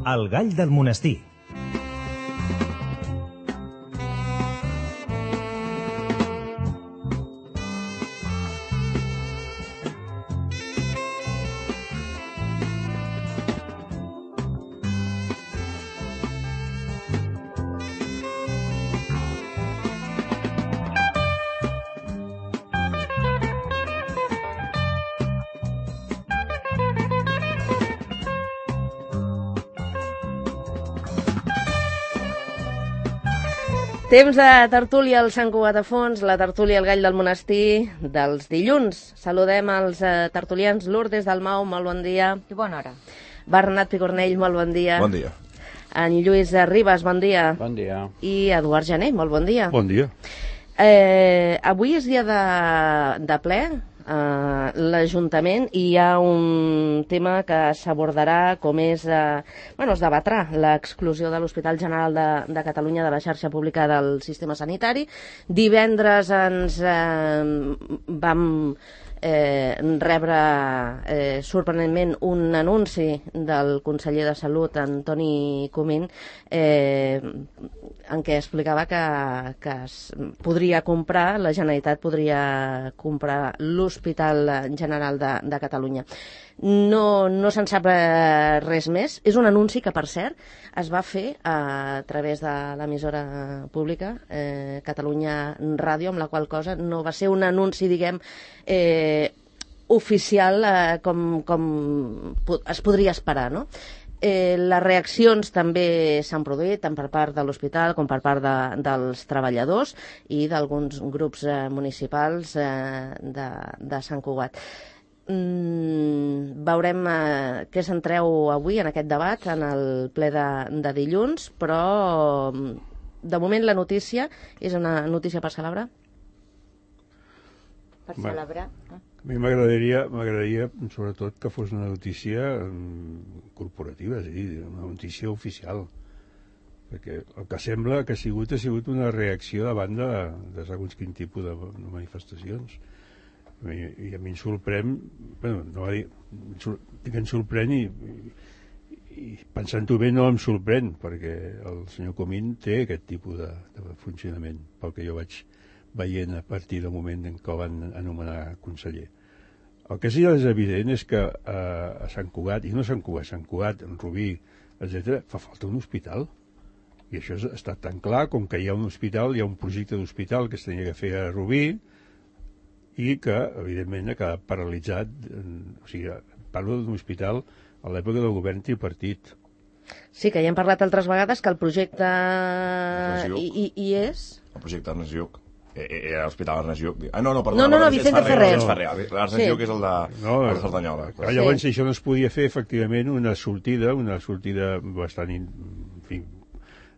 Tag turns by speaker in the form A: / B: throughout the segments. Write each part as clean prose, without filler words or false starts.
A: El gall del monestir.
B: Temps de tertúlia al Sant Cugat a Fons, la tertúlia al gall del monestir dels dilluns. Saludem els tertulians. Lourdes Dalmau, molt bon dia.
C: I bona hora.
B: Bernat Picornell, molt bon dia.
D: Bon dia.
B: En Lluís Ribas, bon dia.
E: Bon dia.
B: I Eduard Jané, molt bon dia.
F: Bon dia.
B: Avui és dia de ple, l'Ajuntament, i hi ha un tema que s'abordarà com és... es debatrà l'exclusió de l'Hospital General de Catalunya de la xarxa pública del sistema sanitari. Divendres ens vam rebre sorprenentment un anunci del conseller de Salut, Antoni Comín, en què explicava que es podria comprar, la Generalitat podria comprar l'Hospital General de Catalunya. No se'n sap res més. És un anunci que, per cert, es va fer a través de l'emissora pública, Catalunya Ràdio, amb la qual cosa no va ser un anunci, diguem, oficial com es podria esperar, no? Les reaccions també s'han produït tant per part de l'hospital com per part dels treballadors i d'alguns grups municipals de Sant Cugat. Veurem què se'n treu avui en aquest debat, en el ple de dilluns, però de moment la notícia és una notícia per celebrar.
C: Per celebrar.
F: A mi m'agradaria sobretot que fos una notícia corporativa, és a dir, una notícia oficial, perquè el que sembla que ha sigut una reacció davant de segons quin tipus de manifestacions. I a mi em sorprèn, em sorprèn i pensant-ho bé no em sorprèn, perquè el senyor Comín té aquest tipus de funcionament, pel que jo vaig veient a partir del moment en què el van anomenar conseller. El que sí és evident és que a Sant Cugat, i no Sant Cugat, en Rubí, etc., fa falta un hospital. I això està tan clar com que hi ha un hospital, hi ha un projecte d'hospital que es tenia que fer a Rubí i que, evidentment, ha quedat paralitzat. O sigui, parlo d'un hospital a l'època del govern tripartit.
B: Sí, que ja hem parlat altres vegades que el projecte hi és...
D: El projecte Ernest Lluch. Era l'Hospital Ernest Lluch.
B: No, Vicente Ferrer.
D: L'Ernest Lluch és el de Cerdanyola.
F: Llavors això no es podia fer, efectivament, una sortida bastant, en fi,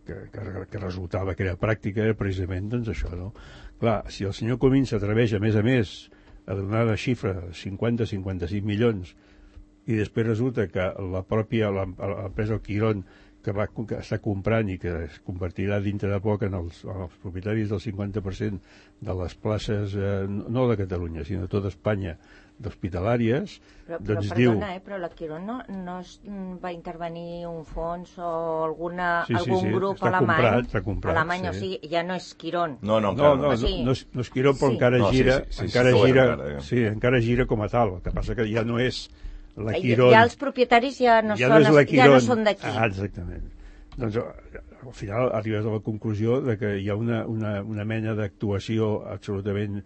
F: que resultava que era pràctica, era precisament doncs això, no? Clar, si el senyor Comín s'atreveix, a més, a donar la xifra de 50-55 milions i després resulta que la pròpia l'empresa El Quirón que està comprant i que es convertirà dintre de poc en els propietaris del 50% de les places, no de Catalunya, sinó de tota Espanya, d'hospitalàries, doncs diu...
C: Però la Quirón no va intervenir un fons o algun grup alemany, o sigui, ja no és Quirón.
F: No és Quirón, però encara gira com a tal. El que passa que ja no és la Quirón.
C: Ja els propietaris ja no són d'aquí.
F: Exactament. Doncs al final arribes a la conclusió de que hi ha una mena d'actuació absolutament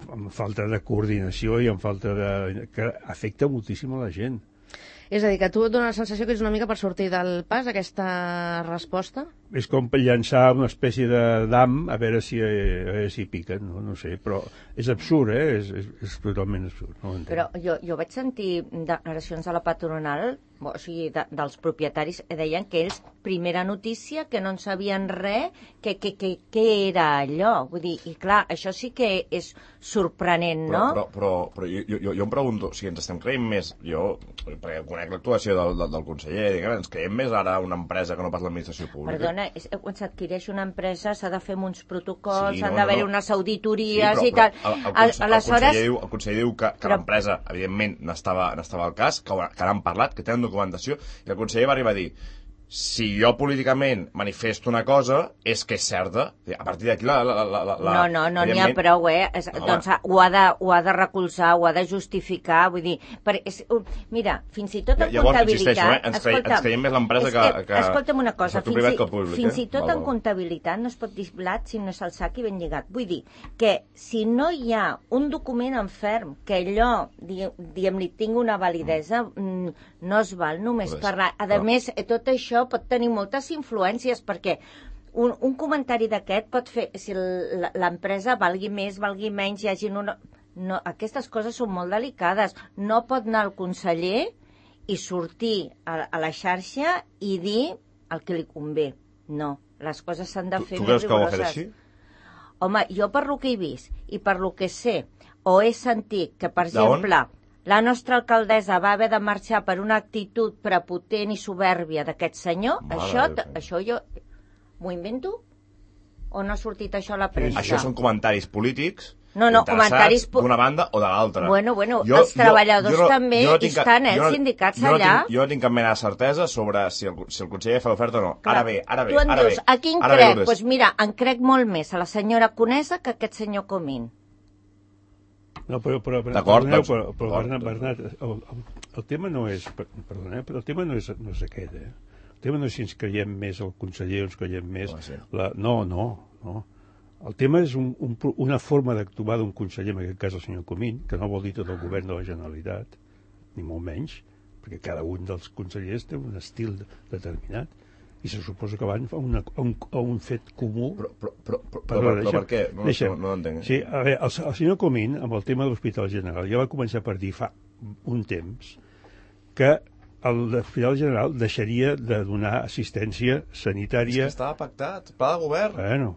F: amb falta de coordinació i amb falta que afecta moltíssim a la gent.
B: És a dir, que a tu et dona la sensació que és una mica per sortir del pas, aquesta resposta?
F: És com llançar una espècie de dam a veure si piquen, no sé, però és absurd, és totalment absurd. No
C: però jo vaig sentir declaracions de la patronal, o sigui, dels propietaris, deien que ells, primera notícia, que no en sabien res, què era allò. Vull dir, i clar, això sí que és sorprenent, no?
D: Però jo em pregunto, si ens estem creient més, perquè conec l'actuació del conseller, ens creiem més ara una empresa que no pas l'administració pública?
C: Perdona, quan s'adquireix una empresa s'ha de fer uns protocols, s'han d'haver unes auditories i tal.
D: El conseller diu que l'empresa, evidentment, n'estava al cas, que n'han parlat, que tenen documentació, i el conseller va arribar a dir: si jo políticament manifesto una cosa, és que és certa. A partir d'aquí
C: No n'hi ha prou, doncs ho ha de recolzar, ho ha de justificar, vull dir... Mira, fins i tot en comptabilitat...
D: Ens creiem més l'empresa que...
C: Escolta'm una cosa,
D: fins
C: i tot en comptabilitat no es pot dir blat si no és el sac i ben lligat. Vull dir que si no hi ha un document en ferm que allò, diguem-li, tingui una validesa, no es val només parlar. A més, tot això pot tenir moltes influències, perquè un comentari d'aquest pot fer, si l'empresa valgui més, valgui menys, hi hagi una... No, aquestes coses són molt delicades. No pot anar el conseller i sortir a la xarxa i dir el que li convé. No, les coses s'han de fer més rigoroses. Tu creus que ho ha fet així? Home, jo per lo que he vist i per lo que sé, o he sentit que, per exemple... La nostra alcaldessa va haver de marxar per una actitud prepotent i soberbia d'aquest senyor. Això jo m'ho invento? O no ha sortit això a la premsa?
D: Això són comentaris polítics
C: comentaris
D: d'una banda o de l'altra.
C: Bueno, els treballadors també hi estan, sindicats allà.
D: Jo no tinc cap mena de certesa sobre si el conseller fa l'oferta o no.
C: Ara bé. Tu em dius, a qui en crec? Doncs mira, en crec molt més a la senyora Conesa que a aquest senyor Comín.
F: No, però Bernat, el tema no és... Perdona, però el tema no és aquest, El tema no és si ens creiem més el conseller o ens creiem més... No. El tema és una forma d'actuar d'un conseller, en aquest cas el senyor Comín, que no vol dir tot el govern de la Generalitat, ni molt menys, perquè cada un dels consellers té un estil determinat, i se suposa que van a un fet comú.
D: Però per què? No entenc.
F: Sí, a veure, el senyor Comín, amb el tema de l'Hospital General, ja va començar per dir fa un temps que l'Hospital General deixaria de donar assistència sanitària...
D: És que estava pactat, pla de govern.
F: Bueno,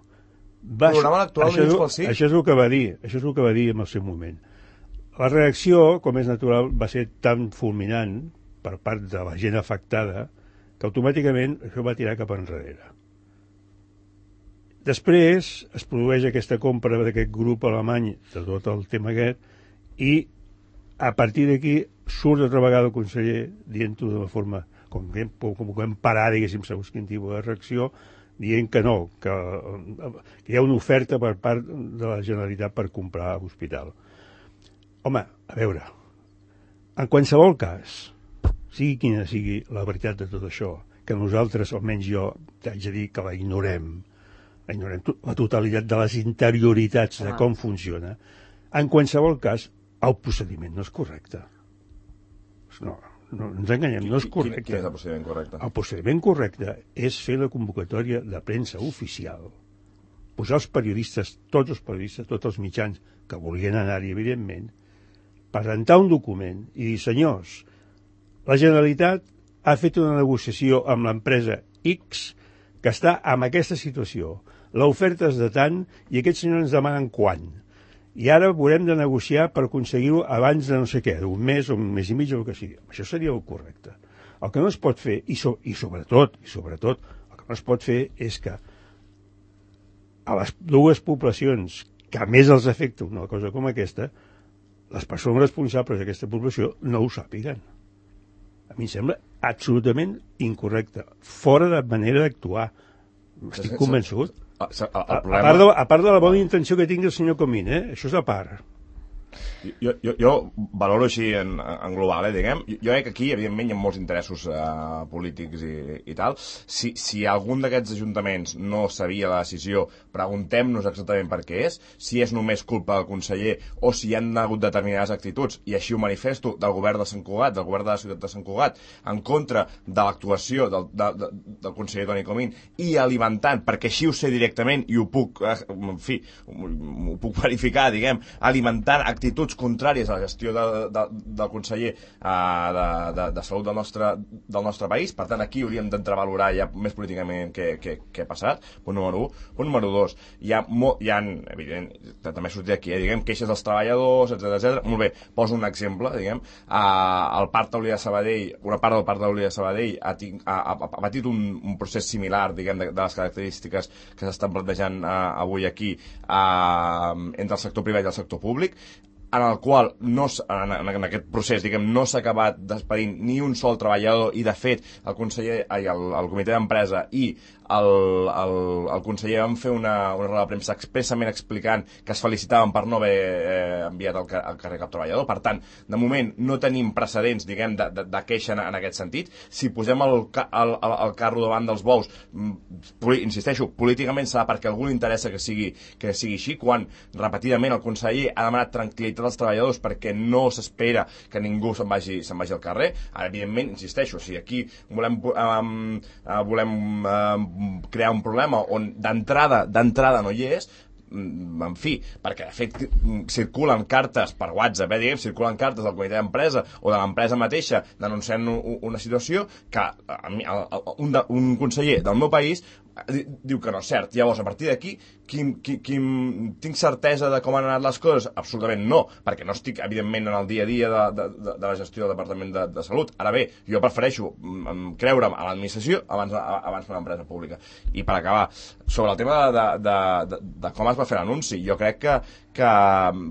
D: programa electoral de Junts pel Sí.
F: Això és el que va dir, en el seu moment. La reacció, com és natural, va ser tan fulminant per part de la gent afectada que automàticament això va tirar cap enrere. Després es produeix aquesta compra d'aquest grup alemany de tot el tema aquest i a partir d'aquí surt altra vegada el conseller dient-ho de forma com que hem parat, diguéssim, segons quin tipus de reacció, dient que no, que hi ha una oferta per part de la Generalitat per comprar l'hospital. Home, a veure, en qualsevol cas, sigui quina sigui la veritat de tot això, que nosaltres, almenys jo, haig de dir que la ignorem la totalitat de les interioritats de com funciona, en qualsevol cas, el procediment no és correcte. No ens enganyem, no és correcte.
D: Quin és el procediment correcte?
F: El procediment correcte és fer la convocatòria de premsa oficial, posar els periodistes, tots els mitjans que volien anar-hi, evidentment, presentar un document i dir, senyors, la Generalitat ha fet una negociació amb l'empresa X que està en aquesta situació. L'oferta és de tant i aquests senyors ens demanen quant. I ara haurem de negociar per aconseguir-ho abans de no sé què, d'un mes o un mes i mig o el que sigui. Això seria el correcte. El que no es pot fer, i sobretot, el que no es pot fer és que a les dues poblacions que més els afecta una cosa com aquesta, les persones responsables d'aquesta població no ho sàpiguen. A mi em sembla absolutament incorrecte, fora de manera d'actuar. Estic convençut. A part de la bona intenció que tingui el senyor Comín, això és a part.
D: Jo valoro així en global, diguem. Jo crec que aquí, evidentment, hi ha molts interessos polítics i tal. Si algun d'aquests ajuntaments no sabia la decisió, preguntem-nos exactament per què és, si és només culpa del conseller o si hi han hagut determinades actituds, i així ho manifesto, del govern de Sant Cugat, del govern de la ciutat de Sant Cugat, en contra de l'actuació del conseller Toni Comín, i alimentant, perquè així ho sé directament i ho puc, en fi, ho puc verificar, diguem, alimentant actituds actituds contràries a la gestió del conseller de Salut del nostre país. Per tant, aquí hauríem d'entrar a valorar ja més políticament què ha passat. Punt número 1. Punt número 2. Hi ha evident, també ha sortit aquí, diguem, queixes dels treballadors, etc. Molt bé, poso un exemple, diguem, el Parc Taulí de Sabadell, una part del Parc Taulí de Sabadell ha patit un procés similar, diguem, de les característiques que s'estan plantejant avui aquí entre el sector privat i el sector públic, en el qual en aquest procés, diguem, no s'ha acabat despedint ni un sol treballador, i de fet el conseller, el comitè d'empresa i el conseller van fer una roda de premsa expressament explicant que es felicitaven per no haver enviat al carrer cap treballador. Per tant, de moment no tenim precedents, diguem, de queixa en aquest sentit. Si posem el carro davant dels bous, insisteixo, políticament serà perquè a algú li interessa que sigui així, quan repetidament el conseller ha demanat tranquil·litat als treballadors perquè no s'espera que ningú se'n vagi al carrer. Ara, evidentment, insisteixo, si aquí volem crear un problema on d'entrada no hi és, en fi, perquè de fet circulen cartes per WhatsApp, diguem, circulen cartes del comitè d'empresa o de l'empresa mateixa denunciant una situació que un conseller del meu país diu que no és cert. Llavors, a partir d'aquí, tinc certesa de com han anat les coses? Absolutament no, perquè no estic, evidentment, en el dia a dia de la gestió del Departament de Salut. Ara bé, jo prefereixo creure'm a l'administració abans que una empresa pública. I per acabar, sobre el tema de com es va fer l'anunci, jo crec que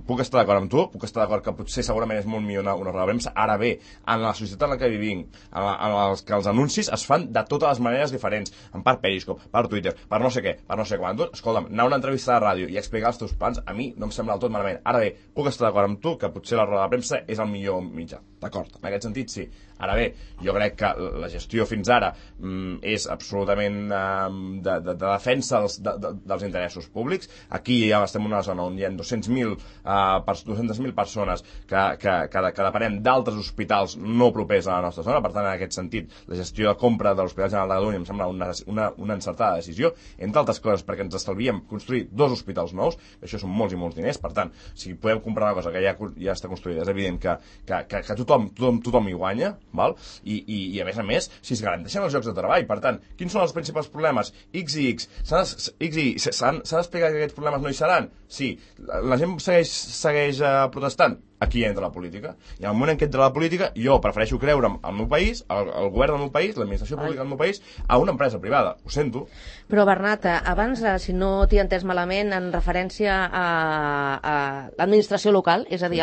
D: puc estar d'acord amb tu, puc estar d'acord que potser segurament és molt millor una roda de premsa. Ara bé, en la societat en la que vivim, en què els anuncis es fan de totes les maneres diferents, en part Periscope, per Twitter, per no sé què, per no sé quant. Escolta'm, anar a una entrevista de ràdio i explicar els teus plans, a mi no em sembla del tot malament. Ara bé, puc estar d'acord amb tu que potser la roda de premsa és el millor mitjà. D'acord, en aquest sentit sí. Ara bé, jo crec que la gestió fins ara és absolutament de defensa dels interessos públics. Aquí ja estem en una zona on hi ha 200.000 persones que depenem d'altres hospitals no propers a la nostra zona. Per tant, en aquest sentit, la gestió de compra de l'Hospital General de Catalunya em sembla una encertada decisió, entre altres coses perquè ens estalviem construir 2 hospitals nous, això són molts i molts diners. Per tant, si podem comprar una cosa que ja està construïda, és evident que tothom hi guanya, val? I a més, si es garanteixen els llocs de treball. Per tant, quins són els principals problemes? X i X. S'ha d'explicar que aquests problemes no hi seran? Sí. La gent segueix protestant? Aquí entra la política. I en el moment en què entra la política, jo prefereixo creure'm al meu país, al govern del meu país, l'administració pública del meu país, a una empresa privada. Ho sento.
B: Però, Bernat, abans, si no t'hi he entès malament, en referència a l'administració local, és a dir,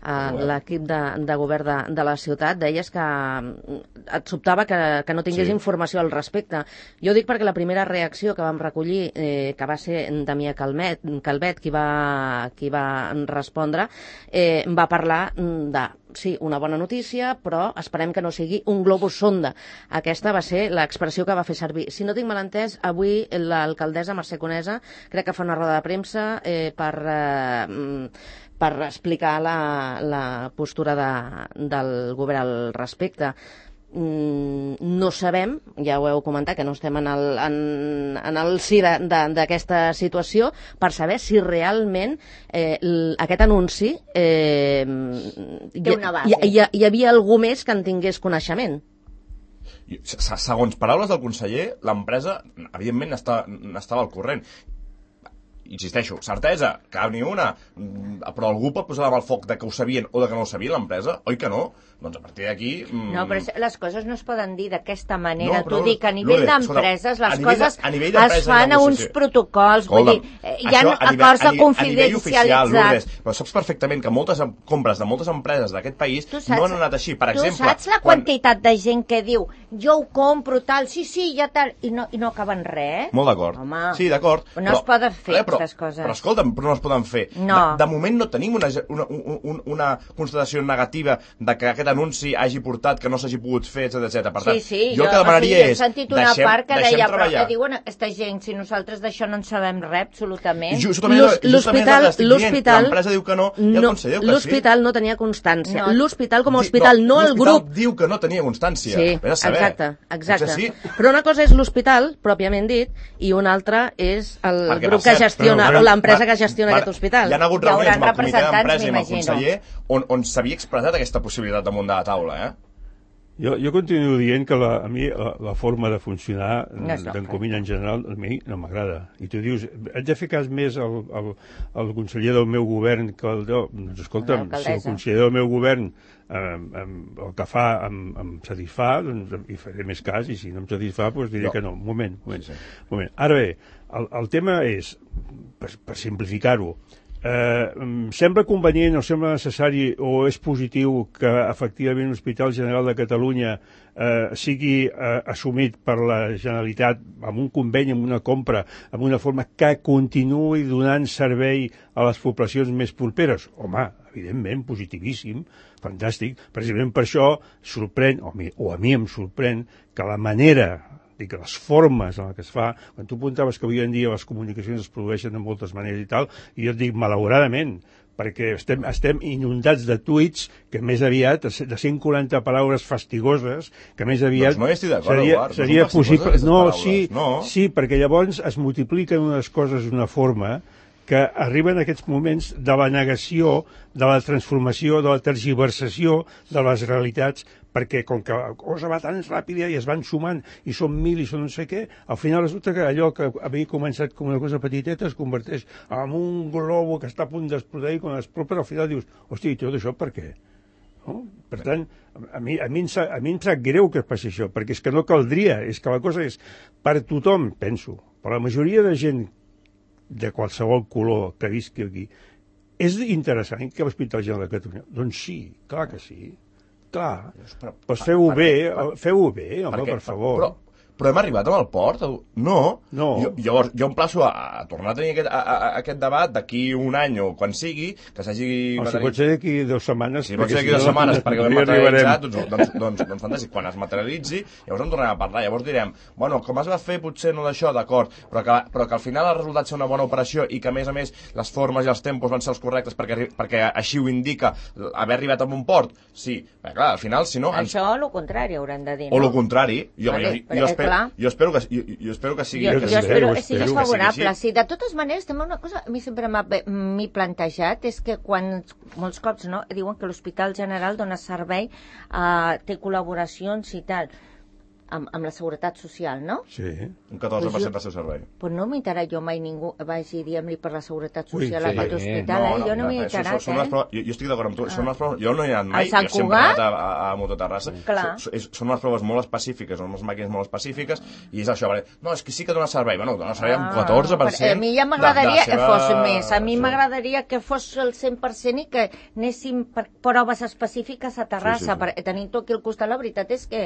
B: l'equip de govern de la ciutat, deies que et sobtava que no tingués informació al respecte. Jo dic perquè la primera reacció que vam recollir, que va ser Damià Calvet, qui va respondre, va parlar de sí, una bona notícia, però esperem que no sigui un globus sonda. Aquesta va ser l'expressió que va fer servir. Si no tinc mal entès, avui l'alcaldessa Mercè Conesa crec que fa una roda de premsa per explicar la postura del govern al respecte. No sabem, ja ho heu comentat, que no estem en el si d'aquesta situació, per saber si realment aquest anunci
C: té una base.
B: Hi havia algú més que en tingués coneixement.
D: Segons paraules del conseller, l'empresa, evidentment, estava al corrent. Insisteixo, certesa, cap ni una, però algú pot posar al foc de que ho sabien o de que no ho sabia l'empresa? Oi que no? Doncs a partir d'aquí...
C: No, però les coses no es poden dir d'aquesta manera.
D: No, però,
C: t'ho dic, a nivell d'empreses, les coses es fan a uns protocols, vull dir, hi ha acords de confidencialitzat.
D: Però saps perfectament que moltes compres de moltes empreses d'aquest país no han anat així. Per exemple...
C: Tu saps la quantitat de gent que diu jo ho compro, tal, sí, ja tal, i no acaben res?
D: Molt d'acord. Sí, d'acord.
C: No es poden fer aquestes coses.
D: Però escolta'm, però no es poden fer. De moment no tenim una constatació negativa de que aquest anunci hagi portat que no s'hagi pogut fer, etc. Per tant, jo el que demanaria és...
C: He sentit una part que deia, però que diuen aquesta gent, si nosaltres d'això no en sabem res, absolutament.
B: L'hospital
D: diu que no, i el conseller diu que sí.
B: L'hospital no tenia constància. L'hospital com a hospital, no el grup.
D: L'hospital diu que no tenia constància.
B: Sí, exacte. Però una cosa és l'hospital, pròpiament dit, i una altra és el grup que gestiona gestiona, o l'empresa que gestiona aquest hospital.
D: Hi ha hagut
C: Hi
D: reunions
C: hauran
D: amb el comitè d'empresa i amb el
C: representants,
D: conseller on s'havia expressat aquesta possibilitat damunt de la taula,
F: Jo continuo dient que a mi la forma de funcionar
C: No és
F: d'en Comín en general a mi no m'agrada. I tu dius, haig de fer cas més al conseller del meu govern que el teu. Doncs escolta'm, si el conseller del meu govern el que fa em satisfà, doncs hi faré més cas, i si no em satisfà doncs diré que no. Un moment. Ara bé, el tema és, per simplificar-ho, sembla convenient o sembla necessari o és positiu que efectivament l'Hospital General de Catalunya sigui assumit per la Generalitat amb un conveni, amb una compra, amb una forma que continuï donant servei a les poblacions més properes? Home, evidentment, positivíssim, fantàstic. Precisament per això sorprèn, o a mi em sorprèn, que la manera, que les formes en què es fa, quan tu apuntaves que avui en dia les comunicacions es produeixen de moltes maneres i tal, i jo et dic malauradament, perquè estem inundats de tuits que més aviat, de 140 paraules fastigoses, que més aviat
D: no hi estic d'acord, Eduard,
F: seria possible. No,
D: paraules,
F: sí, perquè llavors es multipliquen unes coses d'una forma que arriben a aquests moments de la negació, de la transformació, de la tergiversació de les realitats, perquè com que la cosa va tan ràpida i es van sumant i són 1.000 i són no sé què, al final resulta que allò que havia començat com una cosa petiteta es converteix en un globo que està a punt d'explotar i quan explota al final dius, hòstia, i tot això per què? No? Per tant, a mi em sap greu que passi això, perquè és que no caldria, és que la cosa és per tothom, penso, per la majoria de gent de qualsevol color que visqui aquí, és interessant que l'Hospital General de Catalunya? Doncs sí, clar que sí. Clar, doncs feu-ho bé, home, per favor.
D: Però hem arribat amb el port? No. Llavors, jo em plaço a tornar a tenir aquest debat d'aquí un any o quan sigui, que s'hagi...
F: Si pot ser d'aquí 2 setmanes.
D: Si pot ser d'aquí 2 setmanes, perquè ho hem materialitzat, doncs fantàstic. Quan es materialitzi, llavors en tornarem a parlar. Llavors direm, bueno, com es va fer, potser no d'això, d'acord, però que al final ha resultat ser una bona operació i que, a més, les formes i els tempos van ser els correctes perquè així ho indica haver arribat a un port. Sí, perquè clar, al final, si no...
C: Això o el contrari hauran de dir, no?
D: O el contrari. Jo espero que sigui...
C: Jo espero que sigui favorable. Sí, de totes maneres, també una cosa a mi sempre m'he plantejat és que quan molts cops diuen que l'Hospital General dona servei, té col·laboracions i tal, amb la Seguretat Social, no?
F: Sí.
D: Un 14% del seu servei.
C: Però no m'he enterat jo mai ningú vagi dient-li per la Seguretat Social a aquest hospital, jo no m'he enterat,
D: Jo estic d'acord amb tu, són unes proves... Jo no hi he anat mai, jo sempre he anat a Mototerrassa. Són unes proves molt específiques, són unes màquines molt específiques, i és això, no, és que sí que dona servei, bueno, dona servei amb 14%.
C: A mi ja m'agradaria que fos més, a mi m'agradaria que fos el 100% i que anéssim per proves específiques a Terrassa, tenint tot aquí al costat, la veritat és que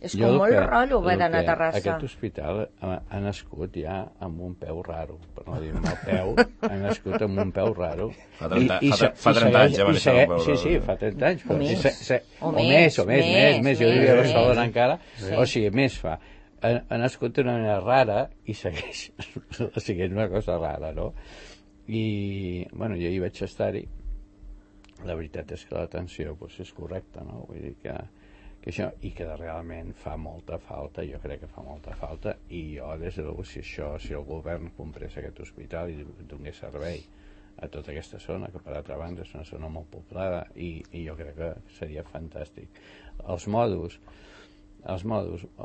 C: és com molt rotllo haver d'anar a Terrassa.
A: Aquest hospital ha nascut ja amb un peu raro, per no dir mal peu, ha nascut amb un peu raro.
D: Fa 30 anys ja va néixer un peu raro.
A: Sí, fa 30 anys. O més, jo diria a Barcelona encara, o sigui, més fa. Ha nascut d'una manera rara i segueix sent una cosa rara, no? I, bueno, jo hi vaig estar-hi, la veritat és que l'atenció és correcta, no? Vull dir que això, i que realment fa molta falta, jo crec que fa molta falta, i jo, des de luego, si el govern comprés aquest hospital i donés servei a tota aquesta zona, que per altra banda és una zona molt poblada, i jo crec que seria fantàstic. Els mòduls,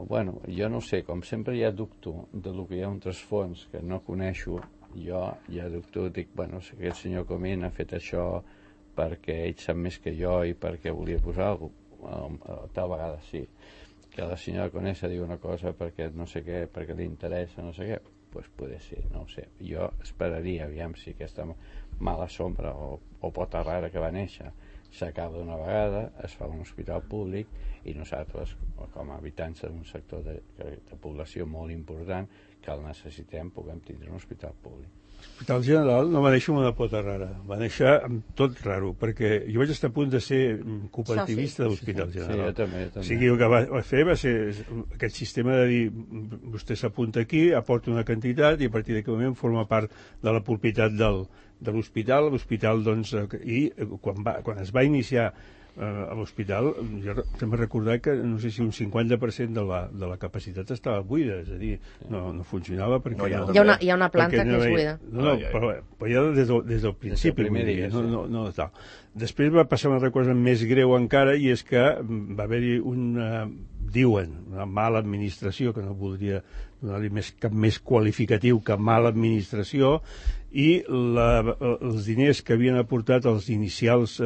A: bueno, jo no sé, com sempre ja dubto del que hi ha un trasfons que no coneixo, jo ja dubto, dic, bueno, si aquest senyor Comín ha fet això perquè ell sap més que jo i perquè volia posar alguna cosa, tal vegada sí, que la senyora Conesa diu una cosa perquè no sé què, perquè li interessa no sé què, doncs poder ser, no ho sé, jo esperaria, aviam si aquesta mala sombra o pota rara que va néixer s'acaba d'una vegada, es fa un hospital públic i nosaltres com a habitants d'un sector de població molt important que el necessitem, puguem tindre un hospital públic.
F: L'Hospital General no va néixer amb una pota rara, va néixer amb tot raro, perquè jo vaig estar a punt de ser cooperativista de l'Hospital General.
A: Sí, jo també.
F: O sigui, el que va fer va ser aquest sistema de dir, vostè s'apunta aquí, aporta una quantitat i a partir d'aquell moment forma part de la propietat de l'hospital. L'hospital, doncs, i quan es va iniciar a l'hospital, jo també recordar que no sé si un 50% de la capacitat estava buida, és a dir, no funcionava perquè...
B: Hi ha una planta que és buida.
F: No, però ja des del principi. Després va passar una altra cosa més greu encara, i és que va haver-hi una mala administració, que no voldria donar-li cap més qualificatiu que mala administració, i els diners que havien aportat els inicials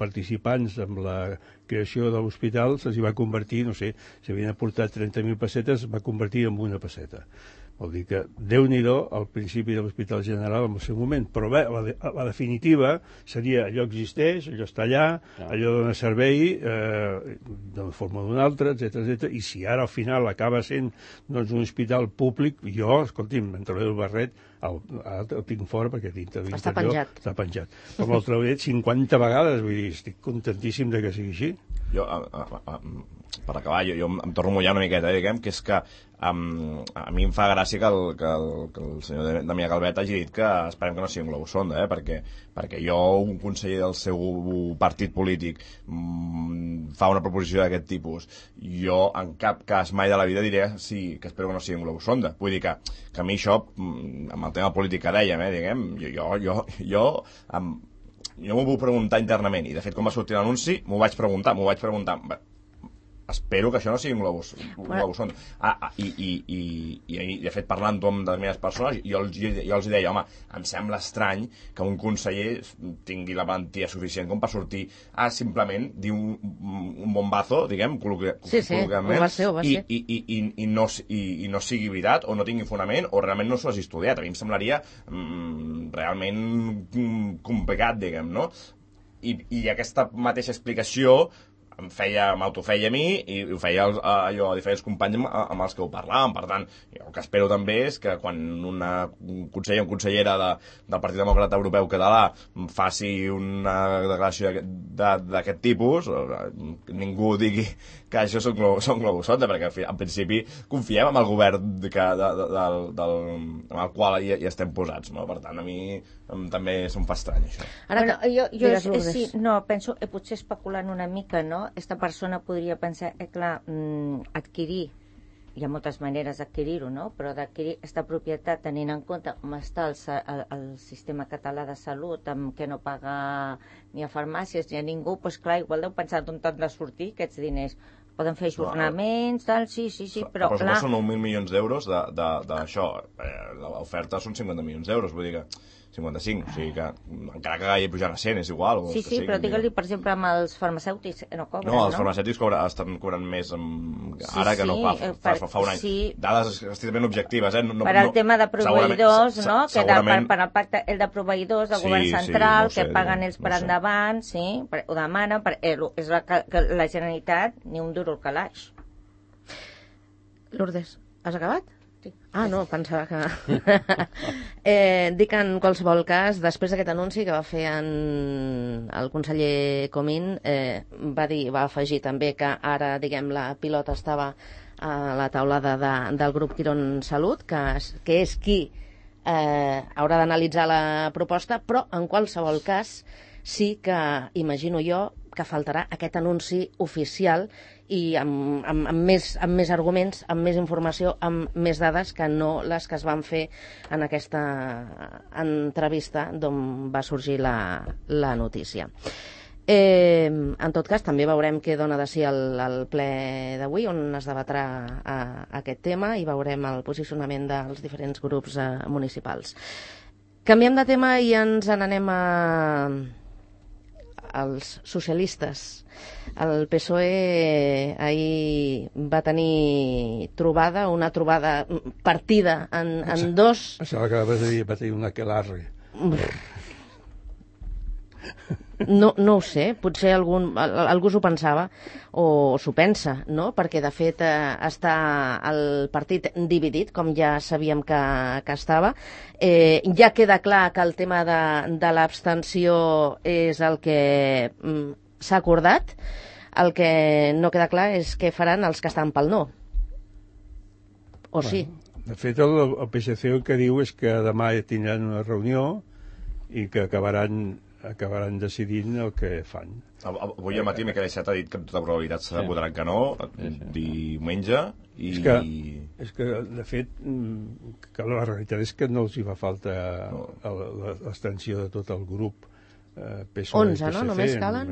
F: participants en la creació de l'hospital se'ls va convertir, no sé, si havien aportat 30.000 pessetes, va convertir en una pesseta. Vol dir que Déu-n'hi-do al principi de l'Hospital General en el seu moment, però bé, la definitiva seria allò existeix, allò està allà, allò dona servei d'una forma o d'una altra, etc. I si ara al final acaba sent un hospital públic, jo, escolti'm, me'n trauré el barret, el tinc fora perquè dintre de l'interior està penjat. Com el trauré 50 vegades, vull dir, estic contentíssim de que sigui així.
D: Jo, per acabar, jo em torno a mullar una miqueta, diguem, que és que a mi em fa gràcia que el senyor Damià Calvet hagi dit que esperem que no sigui un globus sonda, perquè jo, un conseller del seu partit polític, fa una proposició d'aquest tipus, jo en cap cas mai de la vida diré sí, que espero que no sigui un globus sonda. Vull dir que a mi això, amb el tema polític que dèiem, diguem, jo m'ho vull preguntar internament, i de fet quan va sortir l'anunci m'ho vaig preguntar. Espero que això no sigui un globus sonda. I de fet, parlant amb determinades persones, jo els deia, home, em sembla estrany que un conseller tingui la valentia suficient com per sortir a simplement dir un bombazo, diguem, col·loquialment, i no sigui veritat, o no tingui fonament, o realment no s'ho hagi estudiat. A mi em semblaria realment complicat, diguem, no? I aquesta mateixa explicació m'autofeia a mi i ho feia a diferents companys amb els que ho parlàvem. Per tant, jo el que espero també és que quan un conseller o consellera del Partit Demòcrata Europeu Català faci una declaració d'aquest tipus, ningú digui que això són globus sonda, perquè en principi confiem en el govern amb el qual hi estem posats, no? Per tant, a mi també se'm fa estrany això.
C: Ara, penso, potser especulant una mica, no? Esta persona podria pensar, clar, adquirir, hi ha moltes maneres d'adquirir-ho, no? Però d'adquirir aquesta propietat tenint en compte com està el sistema català de salut, amb què no paga ni a farmàcies ni a ningú, doncs clar, igual deu pensar d'on han de sortir aquests diners. Poden fer ajornaments, tal, sí, però clar...
D: Però són 9.000 milions d'euros d'això. L'oferta són 50 milions d'euros, vull dir que 55, o sigui que encara que hagi pujat a 100 és igual.
C: Sí, però digue-li, per exemple, amb els farmacèutics no cobren, no?
D: No, els farmacèutics estan cobrant més ara que no fa un any. Dades estrictament objectives,
C: per al tema de proveïdors, no? Que per al pacte el de proveïdors del govern central, que paguen ells per endavant, sí, ho demanen, és la Generalitat ni un duro al calaix.
B: Lourdes, has acabat? Sí. No, pensava que... dic en qualsevol cas, després d'aquest anunci que va fer el conseller Comín, va afegir també que ara, diguem, la pilota estava a la taulada del grup Quirón Salut, que és qui haurà d'analitzar la proposta, però en qualsevol cas sí que, imagino jo, que faltarà aquest anunci oficial i amb més arguments, amb més informació, amb més dades que no les que es van fer en aquesta entrevista d'on va sorgir la notícia. En tot cas, també veurem què dona de si el ple d'avui, on es debatrà aquest tema, i veurem el posicionament dels diferents grups municipals. Canviem de tema i ens n'anem als socialistes. El PSOE ahir va tenir una trobada partida en dos...
F: Pensava que va tenir una aquelarre.
B: No ho sé, potser algú s'ho pensava o s'ho pensa, no? Perquè de fet està el partit dividit, com ja sabíem que estava. Ja queda clar que el tema de l'abstenció és el que s'ha acordat. El que no queda clar és què faran els que estan pel no. O sí?
F: De fet, el PSC el que diu és que demà tindran una reunió i que acabaran acabaran decidint el que fan.
D: Avui al matí Miquel Iceta ha dit que amb tota probabilitat se votaran que no, diumenge, i...
F: És que, de fet, que la realitat és que no els hi fa falta l'extensió de tot el grup PSOE,
B: 11, no? Només calen?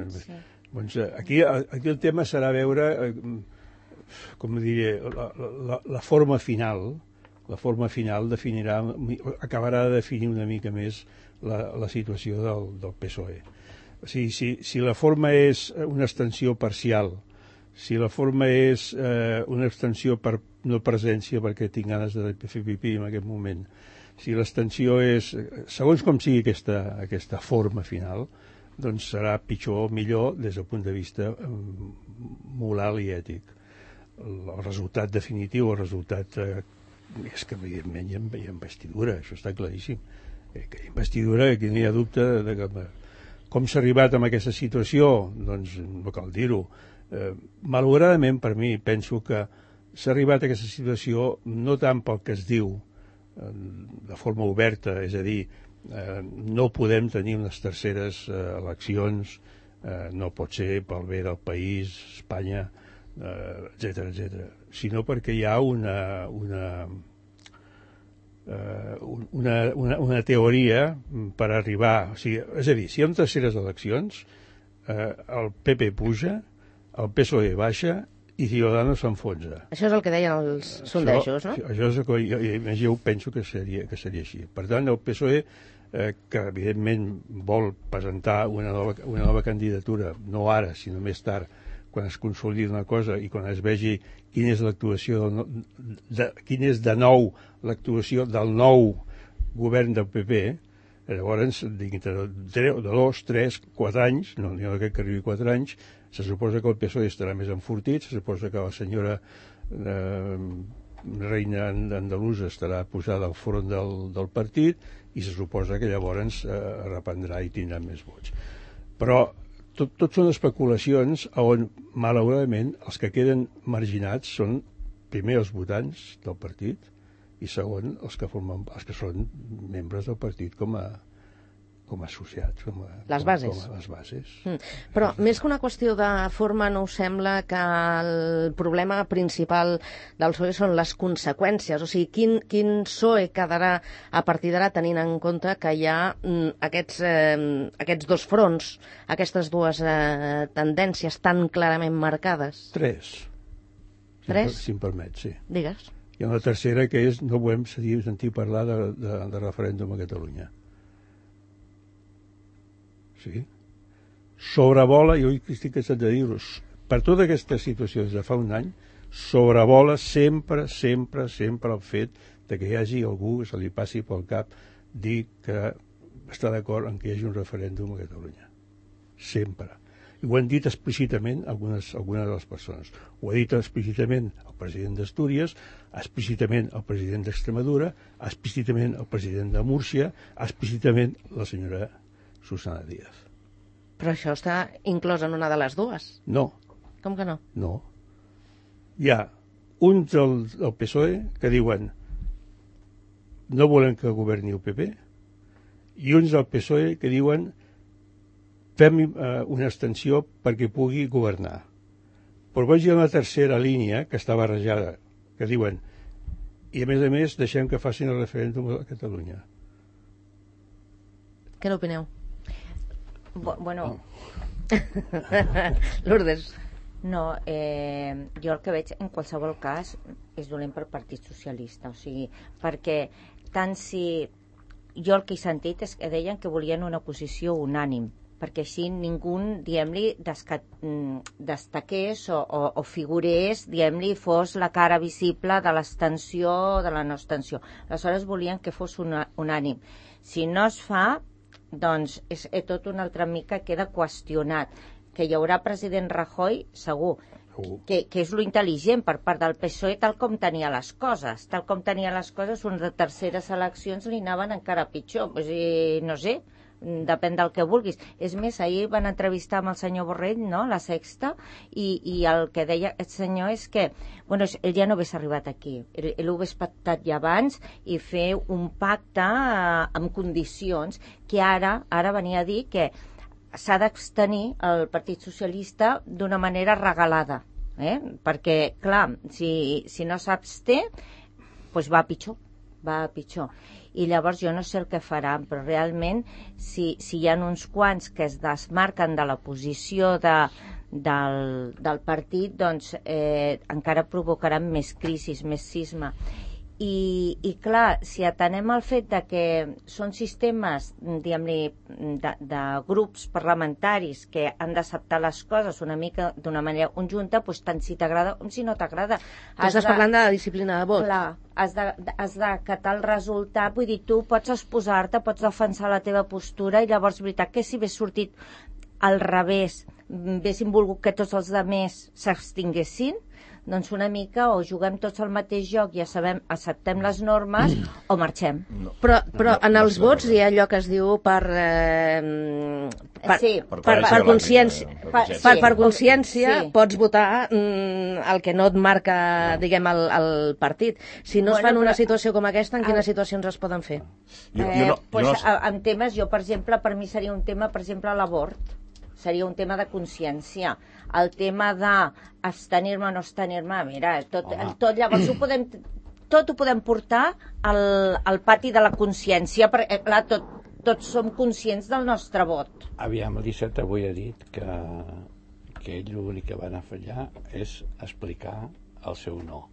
F: Doncs aquí el tema serà veure, com diré, la forma final. La forma final acabarà de definir una mica més la situació del PSOE. O sigui, si la forma és una extensió parcial, si la forma és una extensió per no presència perquè tinc ganes de fer pipí en aquest moment, si l'extensió és, segons com sigui aquesta forma final, doncs serà pitjor o millor des del punt de vista moral i ètic. El resultat definitiu, el resultat és que evidentment hi ha investidura, això està claríssim. Que hi ha investidura, aquí no hi ha dubte de com s'ha arribat a aquesta situació, doncs no cal dir-ho. Malauradament, per mi, penso que s'ha arribat a aquesta situació no tant pel que es diu de forma oberta, és a dir, no podem tenir unes terceres eleccions, no pot ser pel bé del país, Espanya, etc., sinó perquè hi ha una teoria per arribar, o sigui, és a dir, si hi ha terceres eleccions, el PP puja, el PSOE baixa i Ciudadanos s'enfonsa.
B: Això és el que deien els sondejos, no?
F: Això és el que jo penso que seria així. Per tant, el PSOE, que evidentment vol presentar una nova candidatura, no ara, sinó més tard, quan es consolidi una cosa i quan es vegi quina és l'actuació quina és de nou l'actuació del nou govern del PP, llavors dintre de 2, 3, 4 anys, no n'hi ha que arribi 4 anys, se suposa que el PSOE estarà més enfortit, se suposa que la senyora reina andalusa estarà posada al front del partit i se suposa que llavors reprendrà i tindrà més vots. Però tot són especulacions on, malauradament, els que queden marginats són, primer, els votants del partit i, segon, els que són membres del partit com a associats,
B: les bases.
F: Com a les bases.
B: Però, més que una qüestió de forma, no us sembla que el problema principal del PSOE són les conseqüències? O sigui, quin PSOE quedarà a partir d'ara tenint en compte que hi ha aquests dos fronts, aquestes dues tendències tan clarament marcades?
F: 3.
B: 3?
F: Si em permet, sí.
B: Digues.
F: Hi ha una tercera que és no volem sentir parlar de referèndum a Catalunya. Sí. Sobrevola, jo estic cansat de dir-ho, per tota aquesta situació des de fa un any, sobrevola sempre el fet de que hi hagi algú que se li passi pel cap dir que està d'acord en que hi hagi un referèndum a Catalunya. Sempre. I ho han dit explícitament algunes de les persones. Ho ha dit explícitament el president d'Astúries, explícitament el president d'Extremadura, explícitament el president de Múrcia, explícitament la senyora Susana Díaz.
B: Però això està inclòs en una de les dues?
F: No.
B: Com que no?
F: No. Hi ha uns del PSOE que diuen no volem que governi el PP i uns del PSOE que diuen fem una extensió perquè pugui governar. Però veig una tercera línia que està barrejada, que diuen i a més deixem que facin el referèndum a Catalunya.
B: Què n'opineu?
C: Bueno...
B: Lourdes.
C: No, jo el que veig en qualsevol cas és dolent per Partit Socialista, o sigui, perquè tant si... Jo el que he sentit és que deien que volien una posició unànim, perquè així ningú, diguem-li, destaqués o figurés, diguem-li, fos la cara visible de l'extensió o de la no extensió. Aleshores volien que fos unànim. Si no es fa, doncs tot una altra mica queda qüestionat. Que hi haurà president Rajoy, segur, que és lo intel·ligent per part del PSOE tal com tenia les coses. Tal com tenia les coses, unes terceres eleccions li anaven encara pitjor. No sé, depèn del que vulguis. És més, ahir van entrevistar amb el senyor Borrell, no?, La Sexta, i el que deia el senyor és que, bueno, ell ja no hagués arribat aquí, ell ho hagués pactat ja abans i fer un pacte amb condicions que ara venia a dir que s'ha d'abstenir el Partit Socialista d'una manera regalada, perquè, clar, si no s'absté, doncs va pitjor. I llavors jo no sé el que faran, però realment si hi ha uns quants que es desmarquen de la posició del partit, doncs encara provocaran més crisis, més cisma. I clar, si atenem al fet de que són sistemes, diguem-ne, de grups parlamentaris que han d'acceptar les coses una mica d'una manera conjunta, doncs tant si t'agrada com si no t'agrada.
B: Estàs parlant de la disciplina de vot.
C: Clar, has d'acatar el resultat, vull dir, tu pots exposar-te, pots defensar la teva postura, i llavors, veritat, que si hagués sortit al revés, haguessin volgut que tots els altres s'abstinguessin, doncs una mica o juguem tots al mateix joc, ja sabem, acceptem les normes o marxem.
B: Però en els vots hi ha allò que es diu per consciència. Per consciència pots votar el que no et marca, diguem, el partit. Si no es fa en una situació com aquesta, en quines situacions es poden fer?
C: En temes, jo, per exemple, per mi seria un tema, per exemple, l'abort. Seria un tema de consciència. El tema d'abstenir-me o no abstenir-me, mira, tot llavors ho podem portar al pati de la consciència, perquè, clar, tots som conscients del nostre vot.
A: Aviam, l'Iceta avui ha dit que ell l'únic que va anar a fallar és explicar el seu no.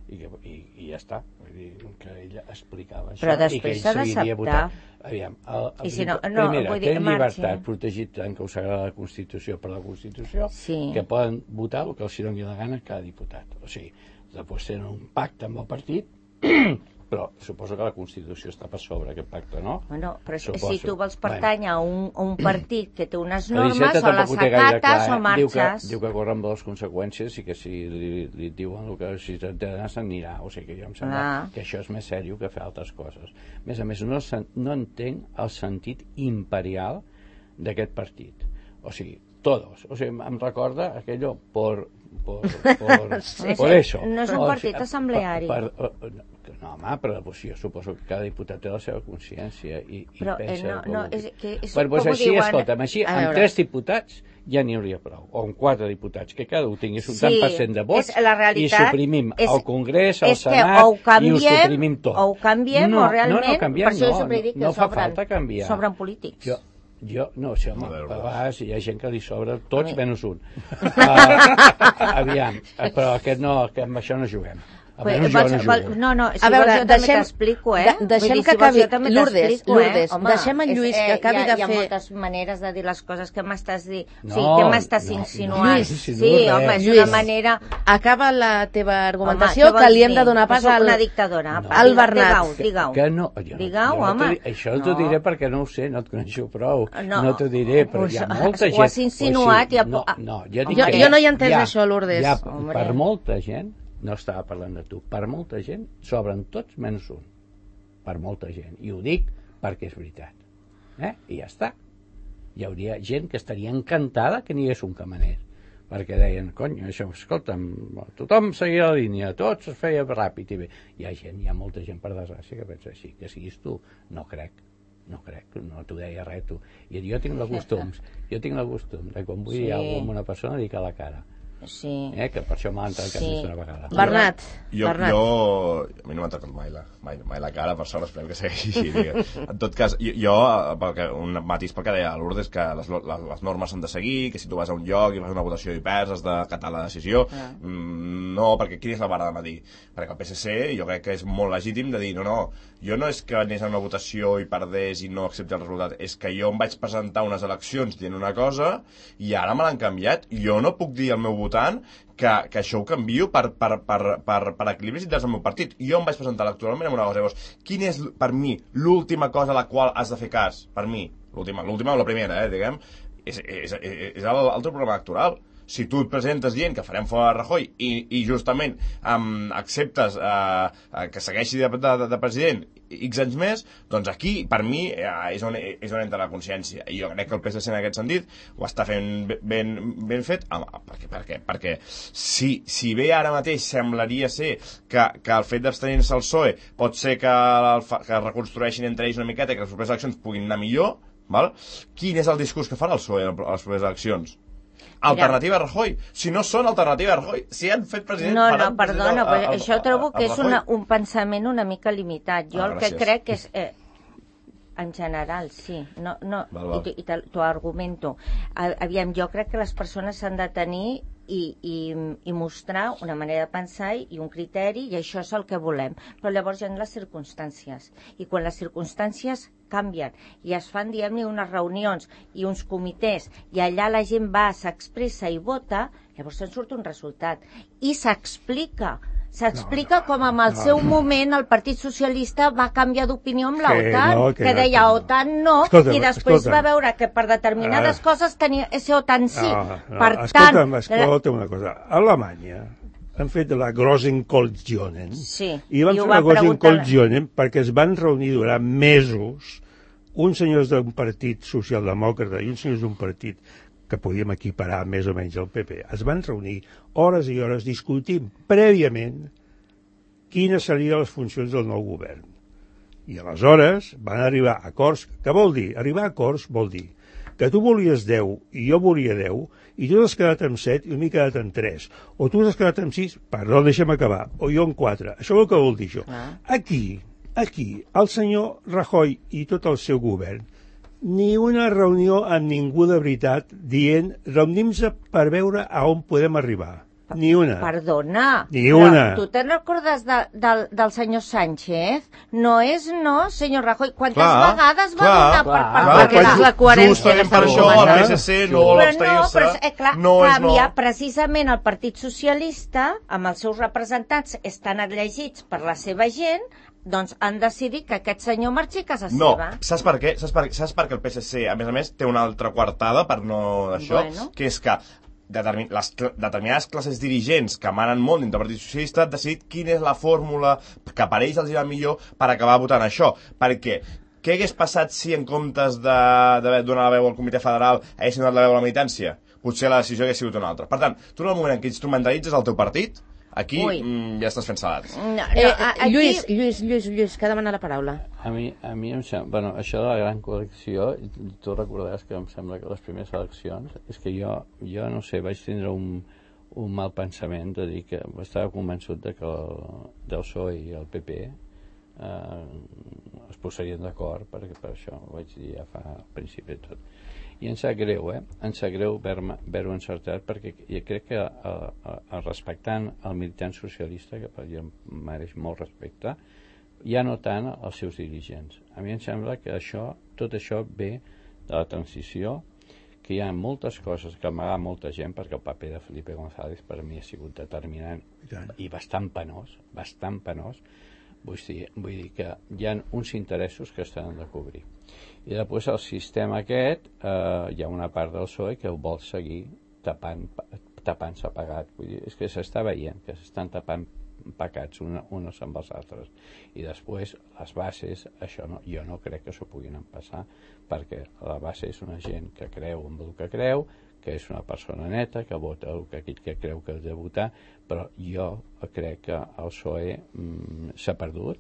A: I ja està, vull dir que ella explicava això.
C: Però després s'ha d'acceptar.
A: Aviam,
C: primera,
A: té llibertat protegit tant que us agrada la Constitució per la Constitució, que poden votar el que els doni la gana cada diputat. O sigui, després tenen un pacte amb el partit, però suposo que la Constitució està per sobre aquest pacte, no?
C: Bueno, però si tu vols pertànyer a un partit que té unes normes, o les acates o marxes.
A: Diu que corren les conseqüències i que si li diuen el que si t'ha d'anar se'n anirà. O sigui que jo em sembla que això és més seriós que fer altres coses. A més, no entenc el sentit imperial d'aquest partit. O sigui, todos. O sigui, em recorda aquello por eso.
C: No és un partit assembleari.
A: No, home, però jo suposo que cada diputat té la seva consciència i pensa... Doncs així, escolta'm, així, amb 3 diputats ja n'hi hauria prou, o amb 4 diputats, que cada un tingués un tant per cent de vots i suprimim el Congrés, el Senat i ho suprimim tot.
C: O ho canviem o realment, per això jo sempre dic que
A: no fa falta canviar.
C: Sobren polítics.
A: No, si home, a vegades hi ha gent que li sobra tots menys un. Aviam, però amb això no juguem.
C: No, si vols jo també t'explico,
B: Deixem que acabi, Lourdes, deixem en Lluís que acabi de fer...
C: Hi ha moltes maneres de dir les coses que m'estàs dient, què m'estàs insinuant? Sí, home, és una manera...
B: Acaba la teva argumentació, que li hem de donar pas al Bernat.
C: Digueu, home.
A: Això t'ho diré perquè no ho sé, no et coneixo prou. No t'ho diré, però hi ha molta gent...
C: Ho has insinuat.
B: Jo no hi he entès això, Lourdes.
A: Per molta gent, no estava parlant de tu, per molta gent sobren tots menys un, per molta gent, i ho dic perquè és veritat, i ja està. Hi hauria gent que estaria encantada que n'hi hagués un que manés, perquè deien, cony, això, escolta'm, tothom seguia la línia, tots es feia ràpid i bé. Hi ha molta gent, per desgràcia, que pensa així, que siguis tu, no crec, no t'ho deia res tu. I jo tinc el costum de quan vull dir alguna cosa amb una persona dic a la cara.
C: Sí.
A: Que per això m'ha entrat més d'una vegada.
B: Bernat.
D: A mi no m'ha entrat mai la cara, per sort, esperem que segueixi així. En tot cas, un matís pel que deia Lourdes, que les normes s'han de seguir, que si tu vas a un lloc i vas a una votació i perds has d'acatar la decisió. No, perquè quina és la vara de medir? Perquè el PSC jo crec que és molt legítim de dir jo no és que anés a una votació i perdés i no accepti el resultat, és que jo em vaig presentar unes eleccions dient una cosa i ara me l'han canviat. Jo no puc dir al meu votant que això ho canvio per equilibris interns del meu partit. Jo em vaig presentar electoralment amb una cosa. Llavors, quina és, per mi, l'última cosa a la qual has de fer cas? Per mi, l'última o la primera, diguem, és el teu programa electoral. Si tu et presentes dient que farem fora Rajoy i justament acceptes que segueixi de president X anys més, doncs aquí, per mi, és on entra la consciència. I jo crec que el PSC en aquest sentit ho està fent ben fet. Perquè si bé ara mateix semblaria ser que el fet d'abstenir-se al PSOE pot ser que reconstrueixin entre ells una miqueta i que les properes eleccions puguin anar millor, val? Quin és el discurs que farà el PSOE a les properes eleccions? Alternativa a Rajoy. Si no són alternativa a Rajoy, si han fet president...
C: No, perdona, però això trobo que és un pensament una mica limitat. Jo el que crec és... En general, sí. I t'ho argumento. Aviam, jo crec que les persones s'han de tenir i mostrar una manera de pensar i un criteri, i això és el que volem. Però llavors hi ha les circumstàncies. I quan les circumstàncies canvien i es fan, diguem-ne, unes reunions i uns comitès, i allà la gent va, s'expressa i vota, llavors se'n surt un resultat. I s'explica com en el seu moment el Partit Socialista va canviar d'opinió amb l'OTAN, que deia OTAN no, i després va veure que per determinades coses tenia ese OTAN sí. Per tant...
F: Escolta una cosa, a Alemanya han fet la Großenkoalitionen, i van fer la Großenkoalitionen perquè es van reunir durant mesos uns senyors d'un partit socialdemòcrata i uns senyors d'un partit que podíem equiparar més o menys al PP. Es van reunir hores i hores discutint prèviament quines serien les funcions del nou govern. I aleshores van arribar a acords. Què vol dir? Arribar a acords vol dir que tu volies 10 i jo volia 10 i tu has quedat amb 7 i m'he quedat amb 3. O tu has quedat amb 6, perdó, deixa'm acabar, o jo amb 4. Això és el que vol dir això. Aquí, el senyor Rajoy i tot el seu govern ni una reunió amb ningú de veritat dient reunim-se per veure a on podem arribar. Ni una.
C: Perdona.
F: Ni una.
C: Tu te'n recordes del senyor Sánchez? No és no, senyor Rajoy. Quantes vegades va donar per
B: perquè és la coherència.
D: Justament per això el PSC no vol abstenir-se.
C: Però canvia precisament el Partit Socialista, amb els seus representants, estan elegits per la seva gent, doncs han decidit que aquest senyor marxi a casa seva.
D: No, saps per què? Saps per què el PSC, a més, té una altra coartada per no d'això, que és que les determinades classes dirigents que manen molt dintre del Partit Socialista han decidit quina és la fórmula que per ells els irà millor per acabar votant això. Perquè què hagués passat si en comptes de donar la veu al Comitè Federal haguessin donat la veu a la militància? Potser la decisió hagués sigut una altra. Per tant, tu en el moment en què instrumentalitzes el teu partit, aquí ja estàs fent salats.
B: Lluís, que demana la paraula.
A: A mi em sembla... Bueno, això de la gran coalició, tu recordaràs que em sembla que les primeres eleccions, és que jo no sé, vaig tindre un mal pensament de dir que estava convençut de que del PSOE i el PP es posarien d'acord, perquè per això ho vaig dir ja fa al principi de tot. I em sap greu, em sap greu haver-ho encertat, perquè jo crec que respectant el militant socialista, que per exemple mereix molt respecte, ja no tant els seus dirigents. A mi em sembla que tot això ve de la transició, que hi ha moltes coses que amaga molta gent, perquè el paper de Felipe González per mi ha sigut determinant i bastant penós. Vull dir que hi ha uns interessos que estan de cobrir. I després el sistema aquest, hi ha una part del PSOE que ho vol seguir tapant-se pagat. Vull dir, és que s'està veient que s'estan tapant pecats uns amb els altres. I després les bases, jo no crec que s'ho puguin empassar, perquè la base és una gent que creu en el que creu, que és una persona neta, que vota el que creu que ha de votar, però jo crec que el PSOE s'ha perdut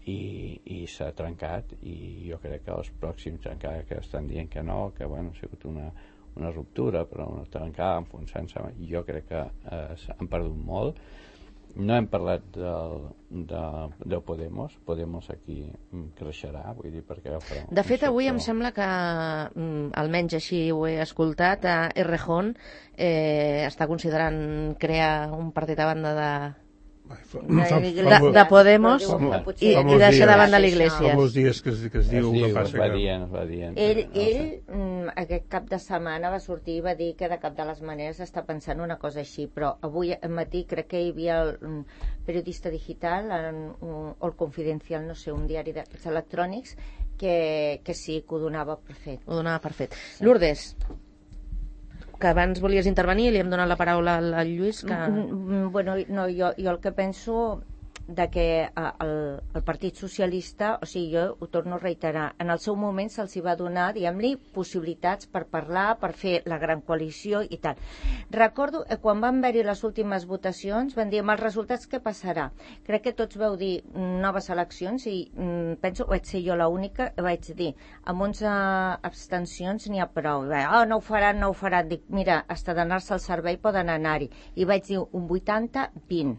A: i s'ha trencat, i jo crec que els pròxims encara que estan dient que no, que bueno, ha sigut una ruptura, però una trencada, enfonsant-se, jo crec que han perdut molt. No hem parlat de Podemos aquí creixerà, vull dir, perquè
B: de fet avui em sembla que almenys així ho he escoltat, Errejón està considerant crear un partit a banda de Podemos i deixar de banda l'Iglesias.
F: Fa molts dies que es diu que passa
A: que...
C: Ell aquest cap de setmana va sortir i va dir que de cap de les maneres està pensant una cosa així, però avui al matí crec que hi havia el periodista digital o el Confidencial, no sé, un diari electrònics que sí, que ho donava per fet.
B: Ho donava per fet. Lourdes, que abans volies intervenir, li hem donat la paraula al Lluís.
C: Bueno, no, jo el que penso que el Partit Socialista, o sigui, jo ho torno a reiterar, en el seu moment se'ls va donar, diguem-li, possibilitats per parlar, per fer la gran coalició i tal. Recordo, quan van haver-hi les últimes votacions, van dir, amb els resultats què passarà? Crec que tots vau dir noves eleccions i penso, vaig ser jo l'única, vaig dir, amb 11 abstencions n'hi ha prou. No ho faran, no ho faran. Dic, mira, hasta d'anar-se al servei poden anar-hi. I vaig dir un 80-20.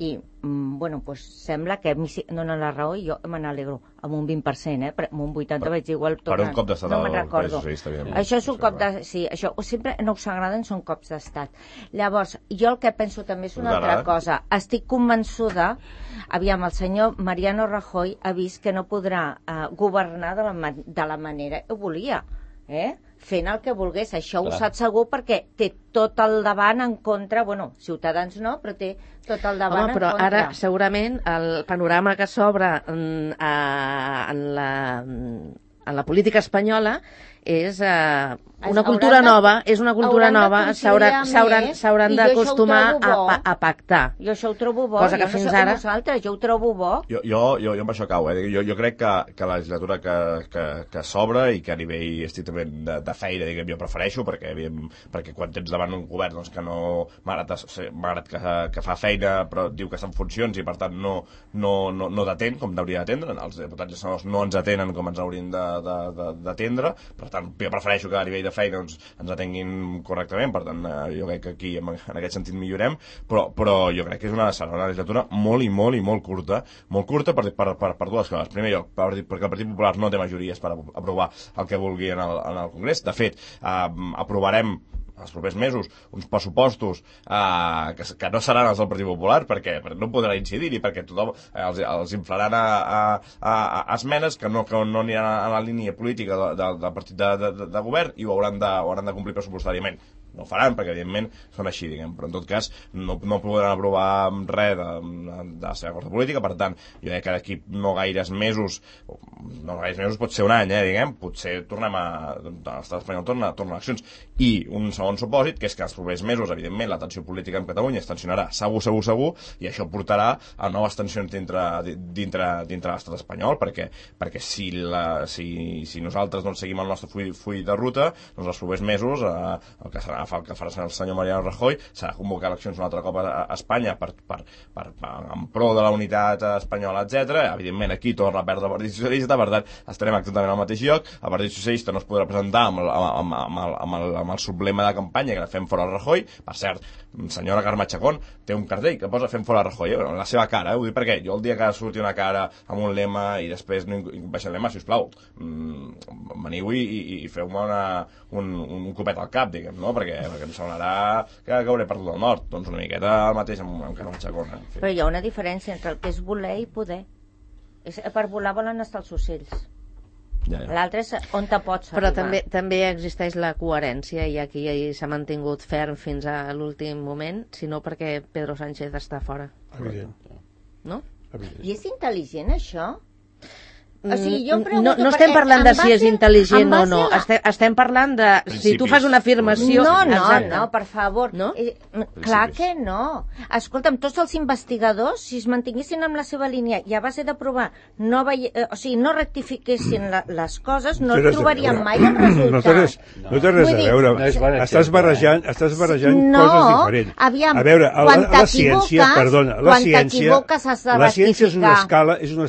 C: I, bueno, doncs sembla que a mi sí, donen la raó i jo me n'alegro amb un 20%, però amb un 80% vaig dir igual
D: per un cop d'estat
C: no me'n recordo. Això és un cop
D: de...
C: Sí, això sempre no us agraden, són cops d'estat. Llavors, jo el que penso també és una altra cosa. Estic convençuda, aviam, el senyor Mariano Rajoy ha vist que no podrà governar de la manera que volia, fent el que volgués. Això ho sap segur perquè té tot el davant en contra, bueno, Ciutadans no, però té tot el davant en contra.
B: Però ara segurament el panorama que s'obre en la política espanyola és una cultura nova, s'hauran d'acostumar a pactar.
C: Jo això ho trobo bo,
B: cosa que fins ara...
C: Jo ho trobo bo.
D: Jo amb això cau, jo crec que la legislatura que s'obre i que a nivell estrictament de feina, diguem, jo prefereixo, perquè quan tens davant un govern doncs, que no, malgrat que fa feina però diu que està en funcions i per tant no t'atén com t'hauria d'atendre, els diputats i senadors no ens atenen com ens haurien d'atendre, per tant jo prefereixo que a nivell de feina ens atenguin correctament, per tant jo crec que aquí en aquest sentit millorem, però jo crec que serà una legislatura molt curta per dues coses. Primer lloc, perquè el Partit Popular no té majories per aprovar el que vulgui en el Congrés. De fet, aprovarem els propers mesos uns pressupostos que no seran els del Partit Popular perquè no podrà incidir-hi, perquè tothom els inflaran a esmenes que no aniran a la línia política del partit de govern i ho hauran de complir pressupostàriament. No ho faran, perquè evidentment són així, diguem, però en tot cas no podran aprovar res de la seva força política. Per tant, jo crec que d'aquí no gaires mesos pot ser un any, diguem, potser tornem l'estat espanyol torna a eleccions. I un segon supòsit, que és que els propers mesos, evidentment, la tensió política en Catalunya es tensionarà segur, i això portarà a noves tensions dintre l'estat espanyol, perquè si nosaltres no seguim el nostre full de ruta, doncs els propers mesos el que farà el senyor Mariano Rajoy serà convocar eleccions un altre cop a Espanya en pro de la unitat espanyola, etc. Evidentment aquí torna a perdre el Partit Socialista, per tant estarem exactament al mateix lloc. El Partit Socialista no es podrà presentar amb el sublema de campanya que fem fora Rajoy. Per cert, senyora Carme Chacón té un cartell que posa fem fora Rajoy, la seva cara, ho dic perquè jo el dia que surti una cara amb un lema i després no baixi el lema, sisplau, veniu i feu-me un copet al cap, diguem, no? Perquè em semblarà que hauré perdut el nord. Doncs una miqueta el mateix amb Carme Chacón.
C: Però hi ha una diferència entre el que és voler i poder. Per volar volen estar els ocells. L'altre és on te pots arribar.
B: Però també existeix la coherència i aquí s'ha mantingut ferm fins a l'últim moment, sinó perquè Pedro Sánchez està fora.
F: Evident.
B: No?
C: I és intel·ligent això? O sigui, jo pregunto,
B: no estem parlant de si és intel·ligent o no, estem parlant de si tu fas una afirmació...
C: No, per favor, no? Clar que no. Escolta'm, tots els investigadors, si es mantinguessin amb la seva línia i a base de provar no rectifiquessin les coses, no trobarien mai el resultat.
F: No té res a veure. Estàs barrejant coses diferents.
C: Aviam,
F: a veure, la ciència
C: la ciència
F: és una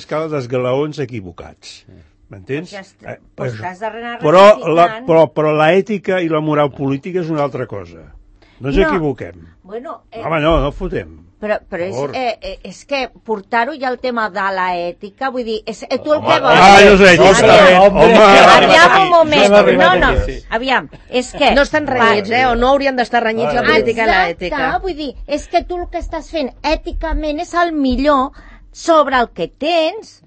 F: escala d'esglaons equivocats. M'entens? Però l'ètica i la moral política és una altra cosa. No ens equivoquem. Home, no fotem.
C: Però és que portar-ho ja al tema de l'ètica, vull dir, tu el que vols... Aviam un moment. Aviam, és que...
B: No estan renyits, o no haurien d'estar renyits la política i l'ètica.
C: Exacte, vull dir, és que tu el que estàs fent èticament és el millor sobre el que tens...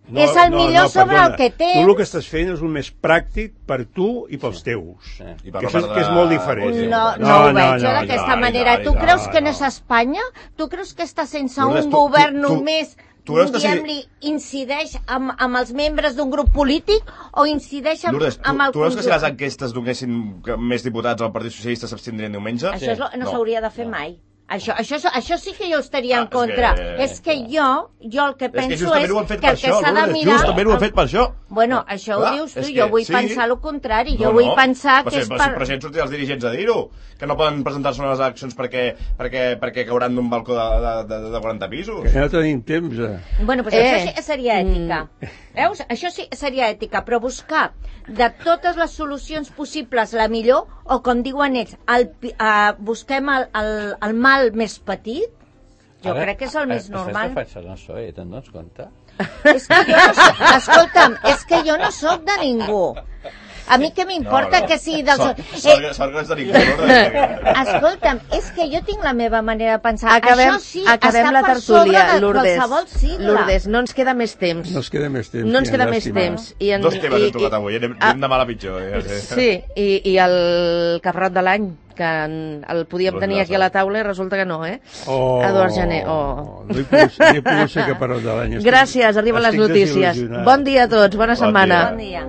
C: és el millor sobre el que tens.
F: Tu el que estàs fent és el més pràctic per tu i pels teus. Que és molt diferent.
C: No ho veig jo d'aquesta manera. Tu creus que no és Espanya? Tu creus que està sense un govern només, diguem-li, incideix amb els membres d'un grup polític o incideix amb el conjunt?
D: Tu veus que si les enquestes donessin més diputats al Partit Socialista s'abstindrien diumenge?
C: Això no s'hauria de fer mai. Això sí que jo estaria en contra. És que jo el que penso és que el que s'ha de mirar...
D: Justament ho han fet per això.
C: Bueno, això ho dius tu, jo vull pensar el contrari. Jo vull pensar que és per...
D: Però si han sortit els dirigents a dir-ho, que no poden presentar-se a les eleccions perquè cauran d'un balcó de 40 pisos.
F: Que no tenim temps.
C: Bueno, doncs això sí que seria ètica. Veus? Això sí que seria ètica, però buscar de totes les solucions possibles la millor, o com diuen ells, busquem el mal més petit, jo crec que és el més normal.
A: Això és defensar el PSOE, te'n dones compte?
C: És que jo no soc, escolta'm, és que jo no soc de ningú. A mi què m'importa que sigui dels...
D: Sort que no és de ningú.
C: Escolta'm, és que jo tinc la meva manera de pensar.
B: Acabem la tertúlia,
C: Lourdes.
B: Lourdes, no ens queda més temps.
F: No ens queda més temps.
B: No ens queda més temps.
D: Dos temes hem tocat avui, anem de mal a pitjor.
B: Sí, i el caparrot de l'any, que el podíem tenir aquí a la taula i resulta que no, Eduard Jané.
F: No hi pogut ser caparrot de l'any.
B: Gràcies, arriben les notícies. Bon dia a tots, bona setmana.
C: Bon dia.